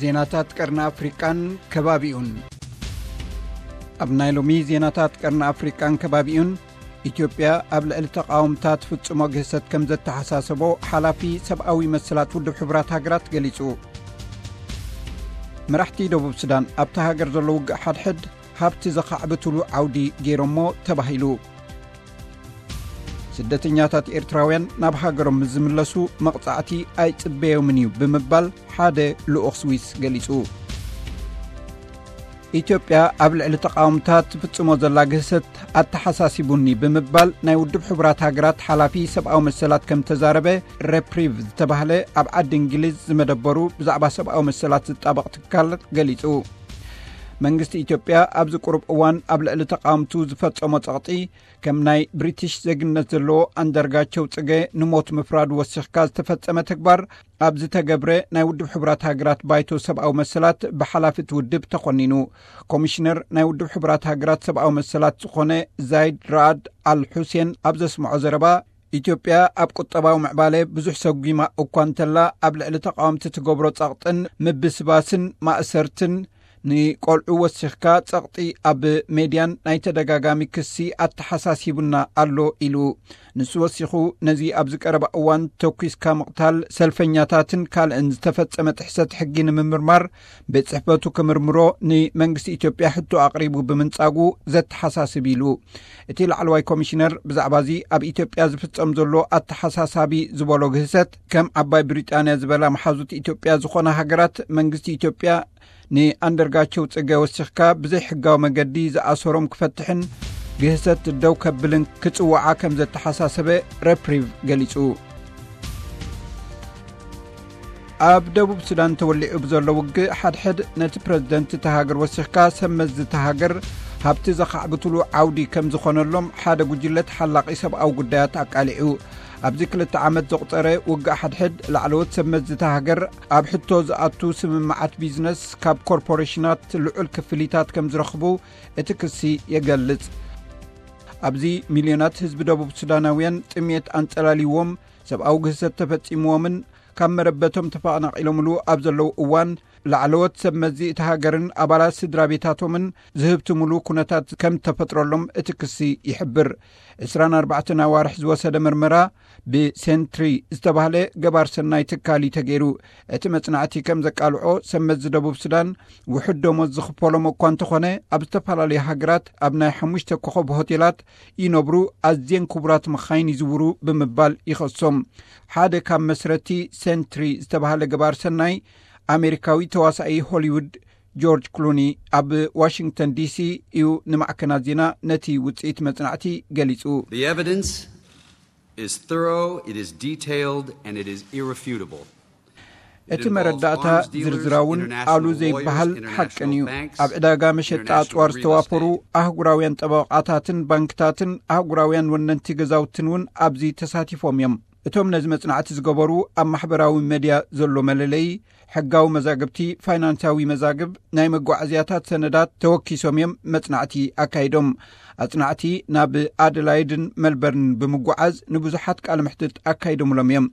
ዜናታት ቀርኒ ኣፍሪቃን ከባቢኡን። ኣብ ናይ ሎሚ ዜናታት ቀርኒ ኣፍሪቃን ከባቢኡን፣ ኢትዮጵያ ኣብ ልዕሊ ተቓወምታ ትፍጽሞ ግህሰት ከም ዘተሓሳሰቦ ሓላፊ ሰብኣዊ መሰላት ውድብ ሕቡራት ሃገራት ገሊጹ። መራሕቲ ደቡብ ሱዳን ኣብታ ሃገር ዘሎ ውግእ ሓድሕድ ሃብቲ ዘኻዕብትሉ ዓውዲ ገይሮሞ ተባሂሉ። ስደተኛታት ኤርትራውያን ናብ ሃገሮም ምስ ዝምለሱ መቕጻዕቲ ኣይጽበዮምን እዩ ብምባል ሓደ ልኡኽ ስዊስ ገሊጹ። ኢትዮጵያ ኣብ ልዕሊ ተቓወምታ ትፍጽሞ ዘላ ግህሰት ኣተሓሳሲቡኒ ብምባል ናይ ውድብ ሕቡራት ሃገራት ሓላፊ ሰብኣዊ መሰላት ከም ተዛረበ፣ ሬፕሪቭ ዝተባህለ ኣብ ዓዲ እንግሊዝ ዝመደበሩ ብዛዕባ ሰብኣዊ መሰላት ዝጣበቕ ትካል ገሊጹ። መንግስቲ ኢትዮጵያ ኣብዚ ቁሩብ እዋን ኣብ ልዕሊ ተቓወምቱ ዝፈጸሞ ጸቕጢ፣ ከም ናይ ብሪቲሽ ዜግነት ዘለዎ ኣንዳርጋቸው ጽገ ንሞት ምፍራድ ወሲኽካ ዝተፈጸመ ተግባር ኣብ ዝተገብረ ናይ ውድብ ሕቡራት ሃገራት ባይቶ ሰብኣዊ መሰላት ብሓላፊ እቲ ውድብ ተኾኒኑ። ኮሚሽነር ናይ ውድብ ሕቡራት ሃገራት ሰብኣዊ መሰላት ዝኾነ ዛይድ ራኣድ ኣል ሑሴን ኣብ ዘስምዖ ዘረባ፣ ኢትዮጵያ ኣብ ቁጠባዊ ምዕባለ ብዙሕ ሰጒማ እኳ እንተላ፣ ኣብ ልዕሊ ተቓወምቲ ትገብሮ ጸቕጥን ምብስባስን ማእሰርትን፣ ንቆልዑ ወሲኽካ ጸቕጢ ኣብ ሜድያን ናይ ተደጋጋሚ ክሲ ኣተሓሳሲቡና ኣሎ ኢሉ። ንሱ ወሲኹ፣ ነዚ ኣብዚ ቀረባ እዋን ተኲስካ ምቕታል ሰልፈኛታትን ካልእን ዝተፈጸመ ጥሕሰት ሕጊ ንምምርማር ቤት ጽሕፈቱ ክምርምሮ ንመንግስቲ ኢትዮጵያ ሕቶ ኣቕሪቡ ብምንጻጉ ዘተሓሳስብ ኢሉ። እቲ ላዕለዋይ ኮሚሽነር ብዛዕባ እዚ ኣብ ኢትዮጵያ ዝፍጸም ዘሎ ኣተሓሳሳቢ ዝበሎ ግህሰት፣ ከም ዓባይ ብሪጣንያ ዝበላ መሓዙት ኢትዮጵያ ዝኾና ሃገራት መንግስቲ ኢትዮጵያ ንኣንደርጋቸው ጽገ ወሲኽካ ብዘይ ሕጋዊ መገዲ ዝኣሰሮም ክፈትሕን ግህሰት ደው ከብልን ክጽውዓ ከም ዘተሓሳሰበ ሬፕሪቭ ገሊጹ። ኣብ ደቡብ ሱዳን ተወሊዑ ብዘሎ ውግእ ሓድሕድ ነቲ ፕረዚደንት እታ ሃገር ወሲኽካ ሰብ መዚ እታ ሃገር ሃብቲ ዘኻዕብትሉ ዓውዲ ከም ዝኾነሎም ሓደ ጉጅለ ተሓላቒ ሰብኣዊ ጉዳያት ኣቃሊዑ። ኣብዚ ክልተ ዓመት ዘቑጸረ ውግእ ሓድሕድ ላዕለዎት ሰብ መዚ እታ ሃገር ኣብ ሕቶ ዝኣቱ ስምምዓት ቢዝነስ ካብ ኮርፖሬሽናት ልዑል ክፍሊታት ከም ዝረኽቡ እቲ ክሲ የገልጽ። ኣብዚ ሚልዮናት ህዝቢ ደቡብ ሱዳናውያን ጥሜት ኣንጸላልይዎም፣ ሰብኣዊ ግህሰት ተፈጺምዎምን ካብ መረበቶም ተፈናቒሎምሉ ኣብ ዘለዉ እዋን፣ ላዕለዎት ሰብ መዚ እታ ሃገርን ኣባላት ስድራ ቤታቶምን ዝህብትምሉ ኩነታት ከም ተፈጥረሎም እቲ ክሲ ይሕብር። ዕስራን ኣርባዕተን ኣዋርሕ ዝወሰደ መርመራ ብሴንትሪ ዝተባህለ ገባር ሰናይ ትካል እዩ ተገይሩ። እቲ መጽናዕቲ ከም ዘቃልዖ፣ ሰብ መዚ ደቡብ ሱዳን ውሑድ ደሞዝ ዝኽፈሎም እኳ እንተኾነ፣ ኣብ ዝተፈላለዩ ሃገራት ኣብ ናይ ሓሙሽተ ኮኸብ ሆቴላት ይነብሩ፣ ኣዝየን ክቡራት መኻይን ይዝውሩ ብምባል ይኸሶም። ሓደ ካብ መስረቲ ሴንትሪ ዝተባህለ ገባር ሰናይ፣ ኣሜሪካዊ ተዋሳኢ ሆሊውድ ጆርጅ ክሉኒ ኣብ ዋሽንግተን ዲሲ እዩ ንማዕከናት ዜና ነቲ ውጽኢት መጽናዕቲ ገሊጹ። The evidence is thorough, it is detailed, and it is irrefutable. እቲ መረዳእታ ዝርዝራውን ኣሉ ዘይበሃል ሓቅን እዩ። ኣብ ዕዳጋ መሸጣ ኣጽዋር ዝተዋፈሩ ኣህጉራውያን ጠበቓታትን ባንክታትን ኣህጉራውያን ወነንቲ ገዛውትን እውን ኣብዚ ተሳቲፎም እዮም። እቶም ነዚ መጽናዕቲ ዝገበሩ፣ ኣብ ማሕበራዊ መድያ ዘሎ መለለዪ፣ ሕጋዊ መዛግብቲ፣ ፋይናንሳዊ መዛግብ፣ ናይ መጓዓዝያታት ሰነዳት ተወኪሶም እዮም መጽናዕቲ ኣካይዶም። ኣጽናዕቲ ናብ ኣደላይድን መልበርንን ብምጓዓዝ ንብዙሓት ቃለ መሕትት ኣካይዶምሎም እዮም።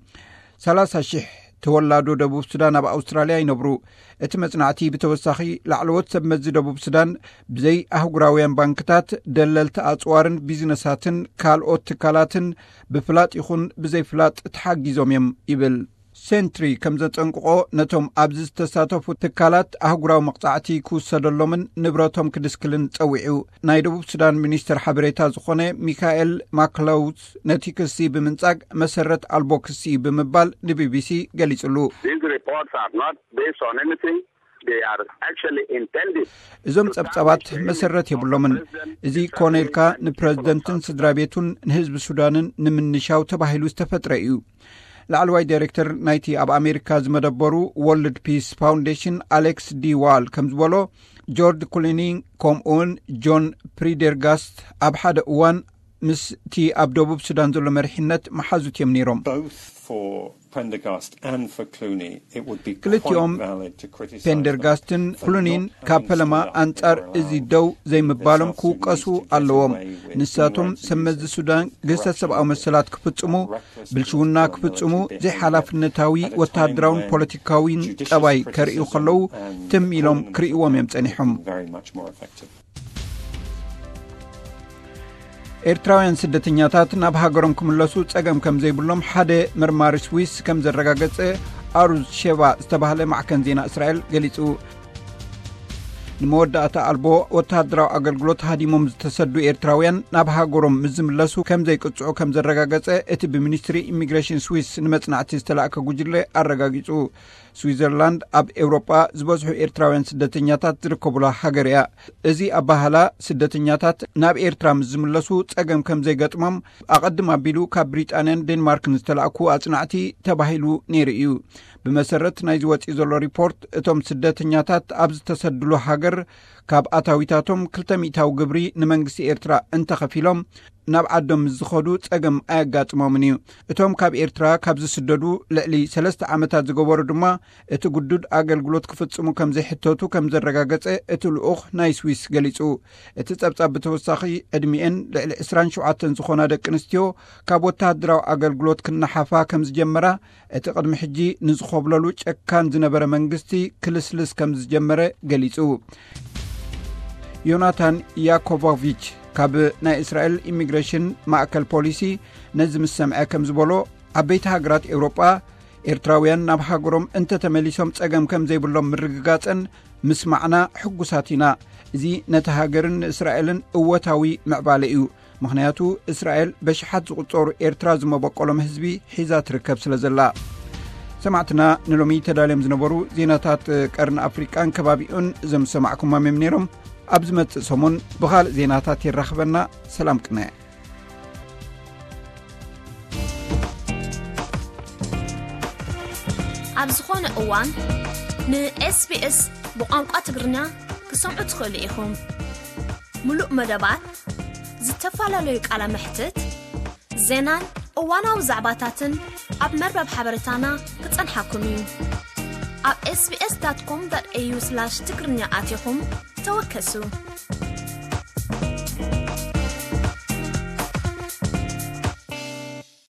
ሰላሳ ሽሕ ተወላዶ ደቡብ ሱዳን ኣብ ኣውስትራልያ ይነብሩ። እቲ መጽናዕቲ ብተወሳኺ፣ ላዕለዎት ሰብ መዚ ደቡብ ሱዳን ብዘይ ኣህጉራውያን ባንክታት፣ ደለልቲ ኣጽዋርን ቢዝነሳትን ካልኦት ትካላትን ብፍላጥ ይኹን ብዘይፍላጥ ተሓጊዞም እዮም ይብል። ሴንትሪ ከም ዘጠንቅቖ፣ ነቶም ኣብዚ ዝተሳተፉ ትካላት ኣህጉራዊ መቕጻዕቲ ክውሰደሎምን ንብረቶም ክድስክልን ጸዊዑ። ናይ ደቡብ ሱዳን ሚኒስትር ሓበሬታ ዝኾነ ሚካኤል ማክለውስ ነቲ ክሲ ብምንጻግ መሰረት ኣልቦ ክሲ እዩ ብምባል ንቢቢሲ ገሊጽሉ። These reports are not based on anything. They are actually intended. እዞም ጸብጻባት መሰረት የብሎምን። እዚ ኮነ ኢልካ ንፕረዚደንትን ስድራ ቤቱን ንህዝቢ ሱዳንን ንምንሻው ተባሂሉ ዝተፈጥረ እዩ። ላዕለዋይ ዳይሬክተር ናይቲ ኣብ ኣሜሪካ ዝመደበሩ ወርልድ ፒስ ፋውንዴሽን ኣሌክስ ዲ ዋል ከም ዝበሎ፣ ጆርጅ ኩሊኒ ከምኡውን ጆን ፕሪደርጋስት ኣብ ሓደ እዋን ምስቲ ኣብ ደቡብ ሱዳን ዘሎ መሪሕነት መሓዙት እዮም ነይሮም። Both for Prendergast and for Clooney, it would be ክልቲኦም quite valid to criticise them ፔንደርጋስትን for ክሉኒን not ካብ having ፈለማ stood up ኣንጻር for እዚ ደው ዘይምባሎም ክውቀሱ ኣለዎም። ንሳቶም ሰብ መዚ ሱዳን ግህሰት ሰብኣዊ መሰላት ክፍጽሙ፣ ብልሽውና ክፍጽሙ፣ ዘይሓላፍነታዊ ወተሃደራውን ፖለቲካዊን ጠባይ ከርእዩ ከለዉ ትም ኢሎም ክርእይዎም እዮም ጸኒሖም። Very much more effective. ኤርትራውያን ስደተኛታት ናብ ሃገሮም ክምለሱ ጸገም ከም ዘይብሎም ሓደ መርማሪ ስዊስ ከም ዘረጋገጸ ኣሩዝ ሼቫ ዝተባህለ ማዕከን ዜና እስራኤል ገሊጹ። ንመወዳእታ ኣልቦ ወተሃደራዊ ኣገልግሎት ሃዲሞም ዝተሰዱ ኤርትራውያን ናብ ሃገሮም ምስ ዝምለሱ ከም ዘይቅጽዑ ከም ዘረጋገጸ እቲ ብሚኒስትሪ ኢሚግሬሽን ስዊስ ንመጽናዕቲ ዝተላእከ ጉጅለ ኣረጋጊጹ። ስዊዘርላንድ ኣብ ኤውሮጳ ዝበዝሑ ኤርትራውያን ስደተኛታት ዝርከቡላ ሃገር እያ። እዚ ኣባህላ ስደተኛታት ናብ ኤርትራ ምስ ዝምለሱ ጸገም ከም ዘይገጥሞም ኣቐድም ኣቢሉ ካብ ብሪጣንያን ዴንማርክን ዝተላእኩ ኣጽናዕቲ ተባሂሉ ነይሩ እዩ። ብመሰረት ናይዚ ወጺኡ ዘሎ ሪፖርት፣ እቶም ስደተኛታት ኣብ ዝተሰድሉ ሃገር ካብ ኣታዊታቶም ክልተ ሚእታዊ ግብሪ ንመንግስቲ ኤርትራ እንተኸፊሎም ናብ ዓዶም ምስ ዝኸዱ ጸገም ኣየጋጥሞምን እዩ። እቶም ካብ ኤርትራ ካብ ዝስደዱ ልዕሊ ሰለስተ ዓመታት ዝገበሩ ድማ እቲ ግዱድ ኣገልግሎት ክፍጽሙ ከም ዘይሕተቱ ከም ዘረጋገጸ እቲ ልኡኽ ናይ ስዊስ ገሊጹ። እቲ ጸብጻብ ብተወሳኺ ዕድሚኤን ልዕሊ ዕስራን ሸውዓተን ዝኾና ደቂ ኣንስትዮ ካብ ወተሃደራዊ ኣገልግሎት ክነሓፋ ከም ዝጀመራ እቲ ቅድሚ ሕጂ ንዝኾብለሉ ጨካን ዝነበረ መንግስቲ ክልስልስ ከም ዝጀመረ ገሊጹ። ዮናታን ያኮቮቪች ካብ ናይ እስራኤል ኢሚግሬሽን ማእከል ፖሊሲ ነዚ ምስ ሰምዐ ከም ዝበሎ፣ ዓበይቲ ሃገራት ኤውሮጳ ኤርትራውያን ናብ ሃገሮም እንተተመሊሶም ጸገም ከም ዘይብሎም ምርግጋጸን ምስማዕና ሕጉሳት ኢና። እዚ ነቲ ሃገርን ንእስራኤልን እወታዊ ምዕባለ እዩ። ምኽንያቱ እስራኤል በሽሓት ዝቑጸሩ ኤርትራ ዝመበቆሎም ህዝቢ ሒዛ ትርከብ ስለ ዘላ። ሰማዕትና ንሎሚ ተዳልዮም ዝነበሩ ዜናታት ቀርኒ ኣፍሪቃን ከባቢኡን እዞም ዝሰማዕኩሞም እዮም ነይሮም። ኣብ ዝመጽእ ሰሙን ብኻልእ ዜናታት የራኽበና። ሰላም ቅነ። ኣብ ዝኾነ እዋን ን SBS ብቋንቋ ትግርኛ ክሰምዑ ትኽእሉ ኢኹም። ምሉእ መደባት፣ ዝተፈላለዩ ቃለ መሕትት፣ ዜናን እዋናዊ ዛዕባታትን ኣብ መርበብ ሓበሬታና ክጸንሓኩም እዩ። ኣብ SBS.com.au/ትግርኛ ኣቲኹም ተወከሱ።